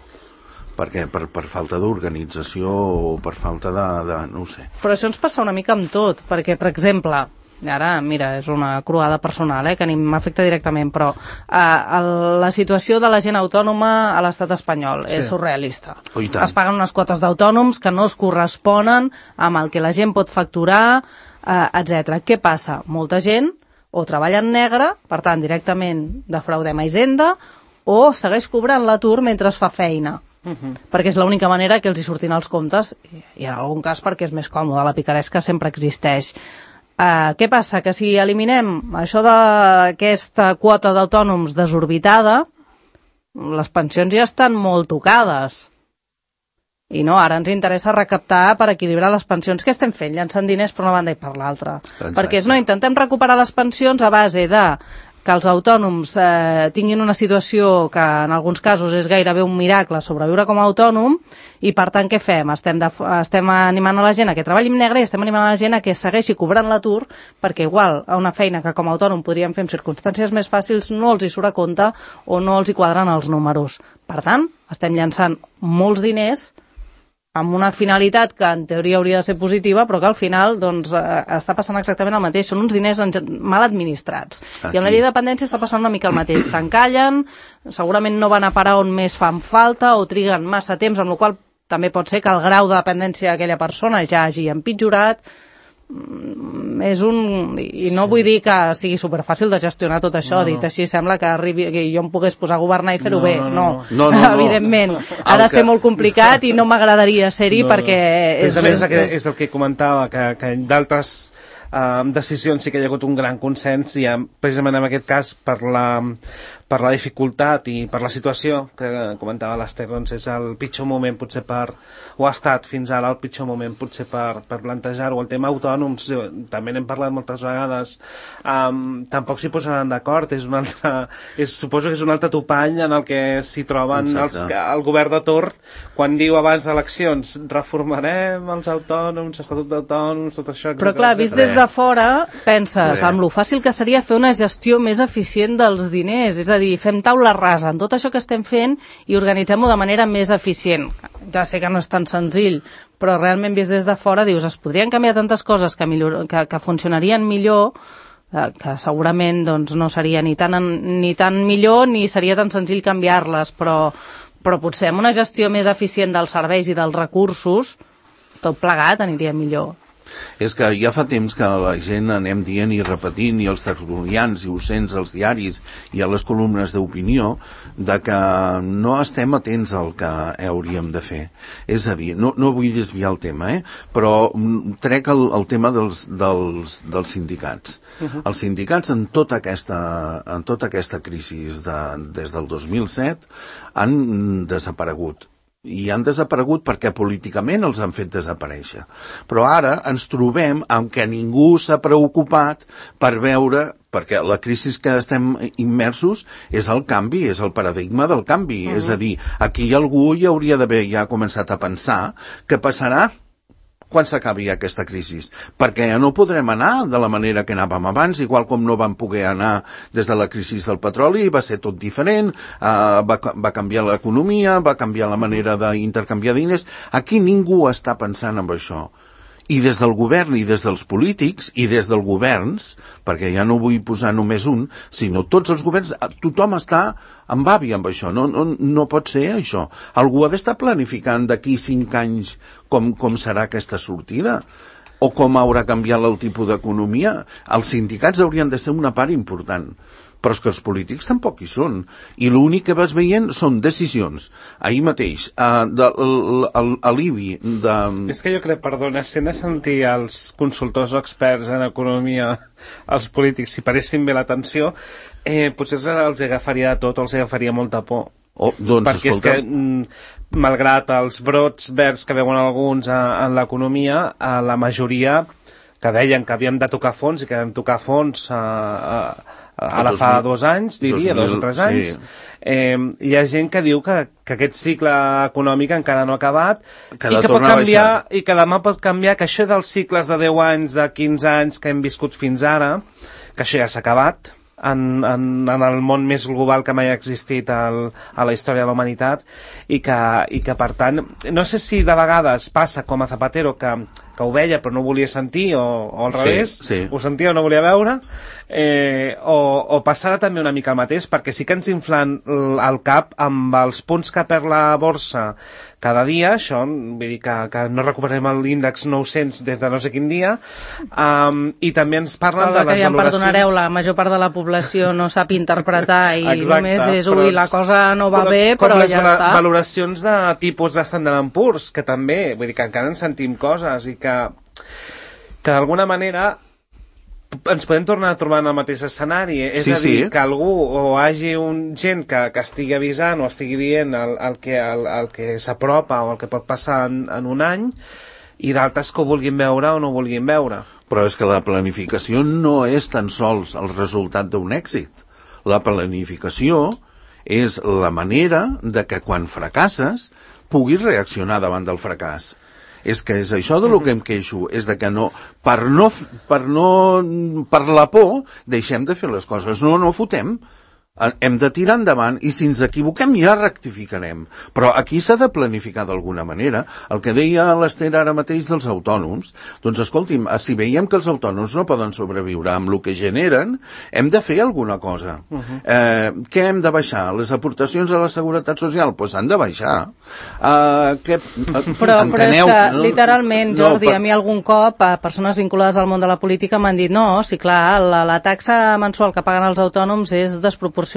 Speaker 3: Perquè per, per falta d'organització o per falta de, de... no ho sé.
Speaker 4: Però això ens passa una mica amb tot, perquè, per exemple, ara, mira, és una croada personal, eh, que ni m'afecta directament, però eh, la situació de la gent autònoma a l'estat espanyol sí. és surrealista.
Speaker 3: Oh,
Speaker 4: es paguen unes quotes d'autònoms que no es corresponen amb el que la gent pot facturar, eh, etcètera. Què passa? Molta gent o treballa en negre, per tant, directament defraudem a Hisenda, o segueix cobrant l'atur mentre es fa feina. Uh-huh. Perquè és l'única manera que els hi surtin els comptes i en algun cas perquè és més còmode, la picaresca sempre existeix. Uh, què passa? Que si eliminem això d'aquesta quota d'autònoms desorbitada, les pensions ja estan molt tocades. I no, ara ens interessa recaptar per equilibrar les pensions. Què estem fent? Llançant diners per una banda i per l'altra. Perquè no, intentem recuperar les pensions a base de que els autònoms eh, tinguin una situació que en alguns casos és gairebé un miracle sobreviure com a autònom, i per tant què fem? Estem, de, estem animant a la gent a que treballi en negre i estem animant a la gent a que segueixi cobrant l'atur, perquè igual a una feina que com a autònom podríem fer en circumstàncies més fàcils no els hi surt a compte o no els hi quadren els números. Per tant, estem llançant molts diners amb una finalitat que en teoria hauria de ser positiva, però que al final doncs, eh, està passant exactament el mateix. Són uns diners mal administrats. Aquí. I amb la llei de dependència està passant una mica el mateix. S'encallen, segurament no van a parar on més fan falta o triguen massa temps, amb la qual també pot ser que el grau de dependència d'aquella persona ja hagi empitjorat. És un... I no vull dir que sigui superfàcil de gestionar tot això, no, no. Dit així sembla que, arribi, que jo em pogués posar a governar i fer-ho no, bé, no, no, no. No, no, no. Evidentment, ha de ser molt complicat i no m'agradaria ser-hi no, perquè no. És,
Speaker 2: és, és, és el que comentava, que, que d'altres uh, decisions sí que hi ha hagut un gran consens i precisament en aquest cas per la, per la dificultat i per la situació que comentava l'Ester, doncs és el pitjor moment potser per, o ha estat fins ara el pitjor moment potser per, per plantejar-ho. El tema autònoms, també n'hem parlat moltes vegades, um, tampoc s'hi posaran d'acord, és un altre, és, suposo que és un altre topall en el que s'hi troben els, el govern de torn quan diu abans d'eleccions reformarem els autònoms, estatut d'autònoms, tot això, etcètera.
Speaker 4: Però clar, vist des de fora, penses, amb lo fàcil que seria fer una gestió més eficient dels diners, és a dir, fem taula rasa en tot això que estem fent i organitzem-ho de manera més eficient. Ja sé que no és tan senzill, però realment vist des de fora dius, es podrien canviar tantes coses que, millor, que, que funcionarien millor, eh, que segurament doncs, no seria ni tan, ni tan millor ni seria tan senzill canviar-les, però, però potser amb una gestió més eficient dels serveis i dels recursos, tot plegat aniria millor.
Speaker 3: És que ja fa temps que la gent anem dient i repetint, i els tertulians i ho sents als diaris i a les columnes d'opinió, de que no estem atents al que hauríem de fer. És a dir, no, no vull desviar el tema, eh? Però trec el, el tema dels, dels, dels sindicats. Uh-huh. Els sindicats en tota aquesta, en tota aquesta crisi de, des del dos mil set han desaparegut. I han desaparegut perquè políticament els han fet desaparèixer. Però ara ens trobem amb que ningú s'ha preocupat per veure, perquè la crisi que estem immersos és el canvi, és el paradigma del canvi. Uh-huh. És a dir, aquí algú hi hauria d'haver ja començat a pensar què passarà quan s'acabi aquesta crisi, perquè ja no podrem anar de la manera que anàvem abans, igual com no vam poder anar des de la crisi del petroli, va ser tot diferent, uh, va, va canviar l'economia, va canviar la manera d'intercanviar diners. Aquí ningú està pensant en això. I des del govern i des dels polítics i des dels governs, perquè ja no vull posar només un, sinó tots els governs, tothom està en avi amb això, no, no, no pot ser això. Algú ha d'estar planificant d'aquí cinc anys com, com serà aquesta sortida o com haurà canviat el tipus d'economia. Els sindicats haurien de ser una part important, però és que els polítics tampoc hi són. I l'únic que vas veient són decisions. Ahir mateix, uh, de, l'alibi de...
Speaker 2: És que jo crec, perdona, si hem de sentir els consultors o experts en economia, els polítics, si paressin bé l'atenció, eh, potser els agafaria de tot o els agafaria molta por.
Speaker 3: Oh, doncs,
Speaker 2: perquè
Speaker 3: escolta...
Speaker 2: és que, mm, malgrat els brots verds que veuen alguns a, en l'economia, a la majoria que deien que havíem de tocar fons i que vam tocar fons a, a, ara fa dos anys, diria, dos o tres anys, sí. eh, hi ha gent que diu que, que aquest cicle econòmic encara no ha acabat que i que pot canviar, i que demà pot canviar, que això dels cicles de deu anys, de quinze anys que hem viscut fins ara, que això ja s'ha acabat en, en, en el món més global que mai ha existit al, a la història de la humanitat, i que, i que per tant, no sé si de vegades passa com a Zapatero, que, que ho veia però no volia sentir, o, o al revés,
Speaker 3: sí, sí.
Speaker 2: Ho sentia o no volia veure, eh, o, o passarà també una mica el mateix, perquè sí que ens inflen el cap amb els punts que perd la borsa cada dia, això, vull dir que, que no recuperem l'índex nou-cents des de no sé quin dia, um, i també ens parlen de les
Speaker 4: que ja
Speaker 2: valoracions...
Speaker 4: Em perdonareu, la major part de la població no sap interpretar i
Speaker 2: exacte,
Speaker 4: només és, ui, la cosa no va com, bé, però
Speaker 2: com les
Speaker 4: ja està.
Speaker 2: Valoracions de tipus de Standard and Poor's, que també, vull dir que encara en sentim coses i que, que d'alguna manera ens podem tornar a trobar en el mateix escenari, és
Speaker 3: sí,
Speaker 2: a dir,
Speaker 3: sí.
Speaker 2: que algú o hagi un gent que, que estigui avisant o estigui dient el, el que, el, el que s'apropa o el que pot passar en, en un any, i d'altres que ho vulguin veure o no ho vulguin veure.
Speaker 3: Però és que la planificació no és tan sols el resultat d'un èxit. La planificació és la manera de que quan fracasses puguis reaccionar davant del fracàs. És que és això de lo que em queixo, és de que no, per no, per no, per la por, deixem de fer les coses, no, no fotem. Hem de tirar endavant i si ens equivoquem ja rectificarem. Però aquí s'ha de planificar d'alguna manera. El que deia l'Ester ara mateix dels autònoms, doncs escolti'm, si veiem que els autònoms no poden sobreviure amb el que generen, hem de fer alguna cosa. Uh -huh. eh, què hem de baixar? Les aportacions a la Seguretat Social? Doncs pues han de baixar. Uh, que, uh,
Speaker 4: però,
Speaker 3: enteneu,
Speaker 4: però és que,
Speaker 3: no?
Speaker 4: literalment, Jordi,
Speaker 3: no, per...
Speaker 4: a mi algun cop, a persones vinculades al món de la política m'han dit no, sí, clar, la, la taxa mensual que paguen els autònoms és desproporcionada,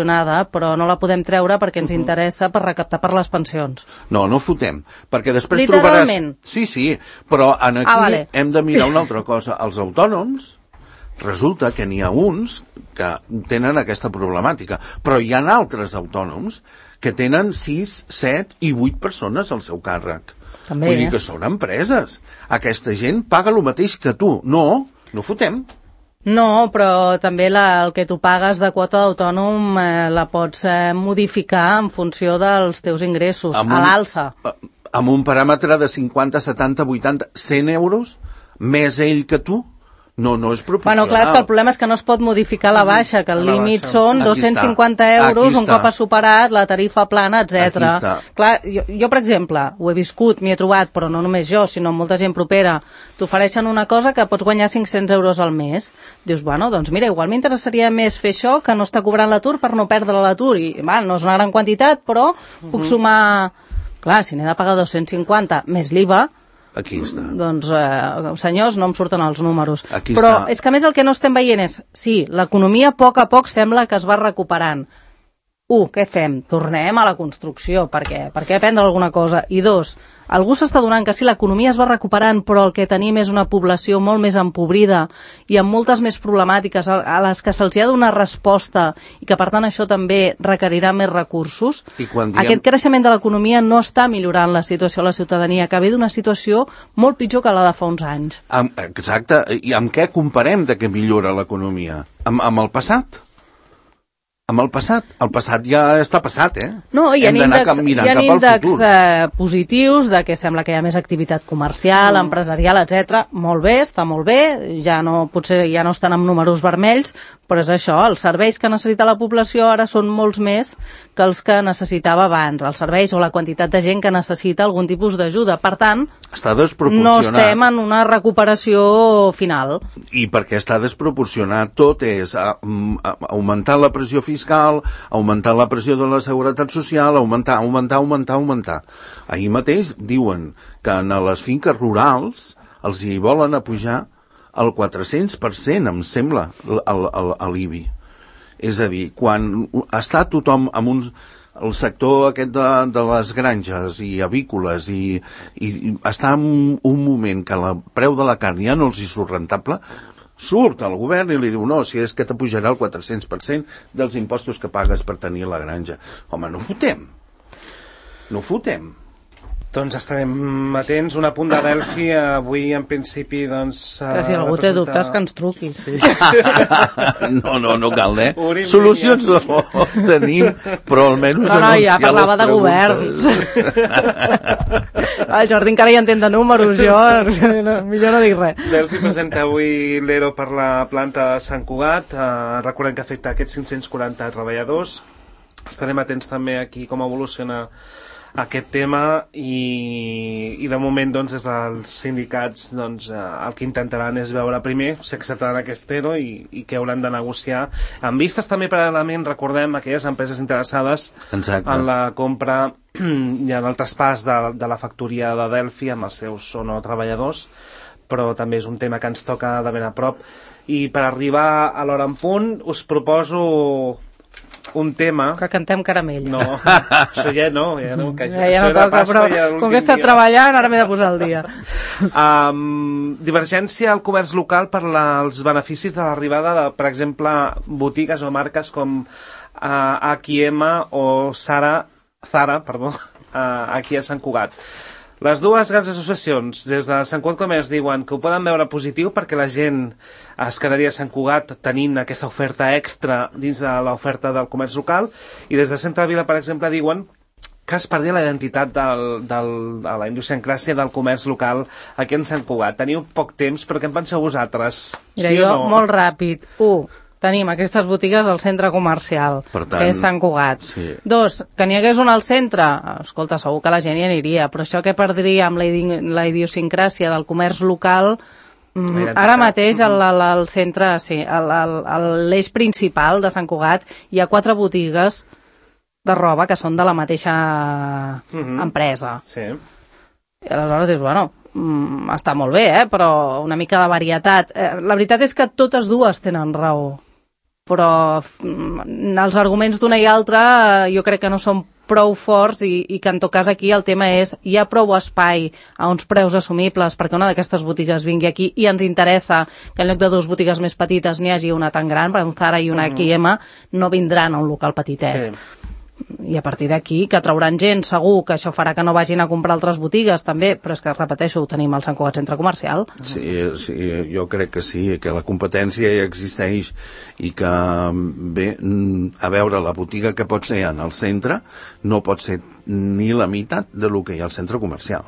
Speaker 4: però no la podem treure perquè ens interessa per recaptar per les pensions.
Speaker 3: No, no fotem, perquè després
Speaker 4: literalment.
Speaker 3: trobaràs... Sí, sí, però en aquí
Speaker 4: ah, vale.
Speaker 3: hem de mirar una altra cosa. Els autònoms, resulta que n'hi ha uns que tenen aquesta problemàtica, però hi ha altres autònoms que tenen sis, set i vuit persones al seu càrrec.
Speaker 4: També,
Speaker 3: Vull dir
Speaker 4: eh?
Speaker 3: que són empreses. Aquesta gent paga el mateix que tu. No, no fotem.
Speaker 4: No, però també la, el que tu pagues de quota d'autònom eh, la pots eh, modificar en funció dels teus ingressos,
Speaker 3: Amb
Speaker 4: a
Speaker 3: un-
Speaker 4: l'alça.
Speaker 3: Amb un paràmetre de cinquanta, setanta, vuitanta, cent euros, més ell que tu, no, no és proporcional.
Speaker 4: Bueno, clar, és que el problema és que no es pot modificar la baixa, que el
Speaker 2: La
Speaker 4: límit
Speaker 2: baixa.
Speaker 4: són
Speaker 3: Aquí
Speaker 4: dos-cents
Speaker 3: està.
Speaker 4: cinquanta euros
Speaker 3: Aquí
Speaker 4: un
Speaker 3: està.
Speaker 4: cop has superat la tarifa plana, etcètera.
Speaker 3: Aquí està.
Speaker 4: Clar, jo, jo, per exemple, ho he viscut, m'hi he trobat, però no només jo, sinó molta gent propera. T'ofereixen una cosa que pots guanyar cinc-cents euros al mes. Dius, bueno, doncs mira, igual m'interessaria més fer això que no està cobrant l'atur per no perdre l'atur. I, val, no és una gran quantitat, però puc sumar... Clar, si n'he de pagar dos-cents cinquanta més l'I V A,
Speaker 3: Aquí està.
Speaker 4: doncs, eh, senyors, no em surten els números.
Speaker 3: Aquí
Speaker 4: Però
Speaker 3: està.
Speaker 4: és que a més el que no estem veient és, sí, l'economia a poc a poc sembla que es va recuperant. Un, què fem? Tornem a la construcció. Per què? Per què aprendre alguna cosa? I dos, algú s'està donant que sí, l'economia es va recuperant, però el que tenim és una població molt més empobrida i amb moltes més problemàtiques a a les que se'ls ha de donar resposta i que, per tant, això també requerirà més recursos.
Speaker 3: I quan diem-
Speaker 4: Aquest creixement de l'economia no està millorant la situació a la ciutadania, que ve d'una situació molt pitjor que la de fa uns anys.
Speaker 3: Amb, exacte, i amb què comparem de què millora l'economia? Amb, amb el passat? Amb el passat? El passat ja està passat, eh?
Speaker 4: No, hi ha
Speaker 3: Hem d'anar
Speaker 4: índexs,
Speaker 3: cap- mirant
Speaker 4: hi ha
Speaker 3: cap al
Speaker 4: índexs
Speaker 3: futur.
Speaker 4: eh, positius de que sembla que hi ha més activitat comercial, mm. empresarial, etcètera. Molt bé, està molt bé, ja no, potser ja no estan amb números vermells, però és això, els serveis que necessita la població ara són molts més que els que necessitava abans, els serveis o la quantitat de gent que necessita algun tipus d'ajuda. Per tant,
Speaker 3: Està
Speaker 4: no
Speaker 3: desproporcionat.
Speaker 4: estem en una recuperació final.
Speaker 3: I perquè està desproporcionat tot és a, a, augmentar la pressió fiscal, augmentar la pressió de la seguretat social, augmentar, augmentar, augmentar, augmentar. Ahir mateix diuen que en les finques rurals els hi volen apujar el quatre-cents per cent, em sembla, l'I B I. És a dir, quan està tothom amb un... el sector aquest de, de les granges i avícoles i, i està en un moment que el preu de la carn ja no els hi surt rentable, surt el govern i li diu no, si és que t'apujarà el quatre-cents per cent dels impostos que pagues per tenir la granja. Home, no fotem. No fotem.
Speaker 2: Doncs estarem atents. Un apunt de Delphi avui, en principi, doncs...
Speaker 4: Que si algú té dubtes, que ens truqui. Sí.
Speaker 3: No, no, no cal, eh?
Speaker 2: Obrim
Speaker 3: Solucions no tenim, però almenys
Speaker 4: No, no, ja parlava de governs. El Jordi encara hi entén de números, jo no, millor no dic res.
Speaker 2: Delphi presenta avui l'E R O per la planta de Sant Cugat. Uh, recordem que afecta aquests cinc-cents quaranta treballadors. Estarem atents també aquí com evoluciona aquest tema i, i de moment doncs, des dels sindicats doncs, eh, el que intentaran és veure primer si acceptaran aquest E R O i, i què hauran de negociar amb vistes també paral·lelament, recordem, aquelles empreses interessades
Speaker 3: Exacte.
Speaker 2: en la compra i en el traspàs de, de la factoria de Delphi amb els seus o no treballadors, però també és un tema que ens toca de ben a prop. I per arribar a l'hora en punt us proposo un tema...
Speaker 4: Que cantem caramell.
Speaker 2: No, això ja no, ja no. Que
Speaker 4: ja, ja no toca, però com que he estat treballant, ara m'he de posar al dia.
Speaker 2: Um, divergència al comerç local per la, els beneficis de l'arribada de, per exemple, botigues o marques com uh, H i M o Zara, Zara, perdó, uh, aquí a Sant Cugat. Les dues grans associacions, des de Sant Cugat Comerç, diuen que ho poden veure positiu perquè la gent es quedaria a Sant Cugat tenint aquesta oferta extra dins de l'oferta del comerç local, i des de Centre Vila, per exemple, diuen que es perdia la identitat del, del, de la idiosincràsia del comerç local aquí en Sant Cugat. Teniu poc temps, però què en penseu vosaltres?
Speaker 4: Mira,
Speaker 2: Sí
Speaker 4: jo,
Speaker 2: o no?
Speaker 4: molt ràpid. Un, tenim aquestes botigues al centre comercial,
Speaker 3: Per tant,
Speaker 4: que és Sant Cugat.
Speaker 3: sí.
Speaker 4: Dos, que n'hi hagués un al centre, escolta, segur que la gent hi aniria, però això que perdria amb la, idi la idiosincràsia del comerç local, mm,
Speaker 2: Identitat.
Speaker 4: ara mateix al, al, al centre, sí, a l'eix principal de Sant Cugat hi ha quatre botigues de roba que són de la mateixa
Speaker 2: Mhm.
Speaker 4: empresa.
Speaker 2: Sí.
Speaker 4: I aleshores dius, bueno, mm, està molt bé, eh? Però una mica de varietat. Eh, la veritat és que totes dues tenen raó, però mm, els arguments d'una i altra eh, jo crec que no són prou forts i, i que en tot cas aquí el tema és hi ha prou espai a uns preus assumibles perquè una d'aquestes botigues vingui aquí i ens interessa que en lloc de dues botigues més petites n'hi hagi una tan gran, per un Zara i una H i M, no vindran a un local petitet.
Speaker 2: Sí.
Speaker 4: I a partir d'aquí, que trauran gent, segur que això farà que no vagin a comprar altres botigues també, però és que, repeteixo, ho tenim al Sant Cugat Centre Comercial.
Speaker 3: Sí, sí, jo crec que sí, que la competència ja existeix i que, bé, a veure, la botiga que pot ser en el centre no pot ser ni la meitat de lo que hi ha al centre comercial.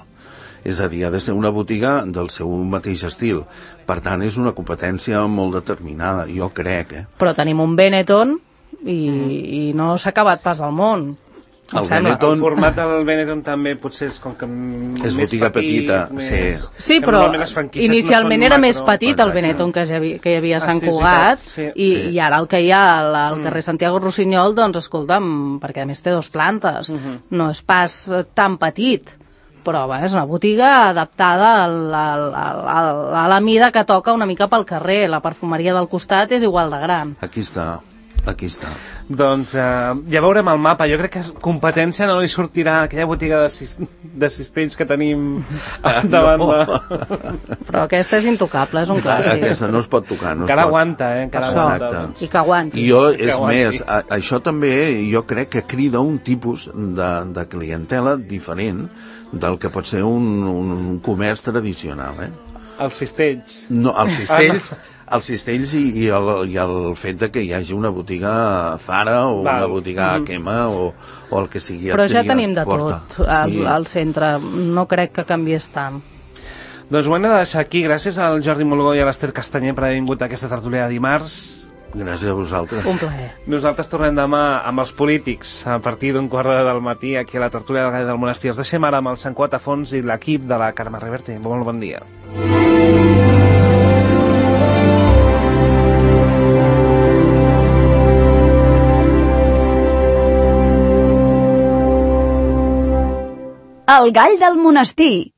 Speaker 3: És a dir, ha de ser una botiga del seu mateix estil. Per tant, és una competència molt determinada, jo crec, eh?
Speaker 4: Però tenim un Benetton i, i no s'ha acabat pas al món. em
Speaker 3: El
Speaker 4: sembla.
Speaker 3: Benetton-
Speaker 2: El format del Benetton també potser és com que
Speaker 3: És
Speaker 2: més
Speaker 3: botiga
Speaker 2: petit,
Speaker 3: petita,
Speaker 2: més...
Speaker 3: sí.
Speaker 4: Sí,
Speaker 2: que
Speaker 4: però
Speaker 2: normalment les franquícies no
Speaker 4: inicialment
Speaker 2: són
Speaker 4: era
Speaker 2: macro.
Speaker 4: més petit el
Speaker 3: Exacte.
Speaker 4: Benetton que, ja havia, que hi havia a
Speaker 2: Ah,
Speaker 4: Sant
Speaker 2: sí, és
Speaker 4: Cugat
Speaker 2: veritat, sí.
Speaker 4: i,
Speaker 3: Sí.
Speaker 4: i ara el que hi ha al, al carrer Santiago Rossinyol, doncs escolta'm, perquè a més té dos plantes, no és pas eh, tan petit, però bé, és una botiga adaptada al, al, al, al, a la mida que toca una mica pel carrer. La perfumeria del costat és igual de gran.
Speaker 3: Aquí està, aquí està.
Speaker 2: Doncs eh, ja veurem el mapa. Jo crec que competència no li sortirà a aquella botiga de, cis, de cistells que tenim davant
Speaker 3: no.
Speaker 2: de...
Speaker 4: Però aquesta és intocable, és un clàssic.
Speaker 3: Aquesta no es pot tocar, no es
Speaker 2: Encara
Speaker 3: pot.
Speaker 2: aguanta, eh? Encara
Speaker 4: Això.
Speaker 2: aguanta.
Speaker 3: Exacte.
Speaker 2: Doncs.
Speaker 4: I que aguanti.
Speaker 3: I jo,
Speaker 2: Que
Speaker 3: és
Speaker 2: aguanti.
Speaker 3: més, a, això també jo crec que crida un tipus de, de clientela diferent del que pot ser un, un, un comerç tradicional, eh?
Speaker 2: Els cistells.
Speaker 3: No, els cistells, els cistells i, i, el, i el fet de que hi hagi una botiga Zara o
Speaker 2: Val.
Speaker 3: una botiga H and M o, o el que sigui.
Speaker 4: Però ja
Speaker 3: triga
Speaker 4: tenim de
Speaker 3: porta.
Speaker 4: tot al,
Speaker 3: Sí.
Speaker 4: al centre. No crec que canviés tant.
Speaker 2: Doncs ho hem de deixar aquí. Gràcies al Jordi Molgó i a l'Ester Castanyer per haver vingut a aquesta tertúlia de dimarts.
Speaker 3: Gràcies a vosaltres.
Speaker 4: Un plaer.
Speaker 2: Nosaltres tornem demà amb els polítics a partir d'un quart d'hora del matí aquí a la tertúlia del Gall del Monestir. Els deixem ara amb el Sant Cugat a fons i l'equip de la Carme Reverte. Molt bon dia.
Speaker 5: El Gall del Monestir,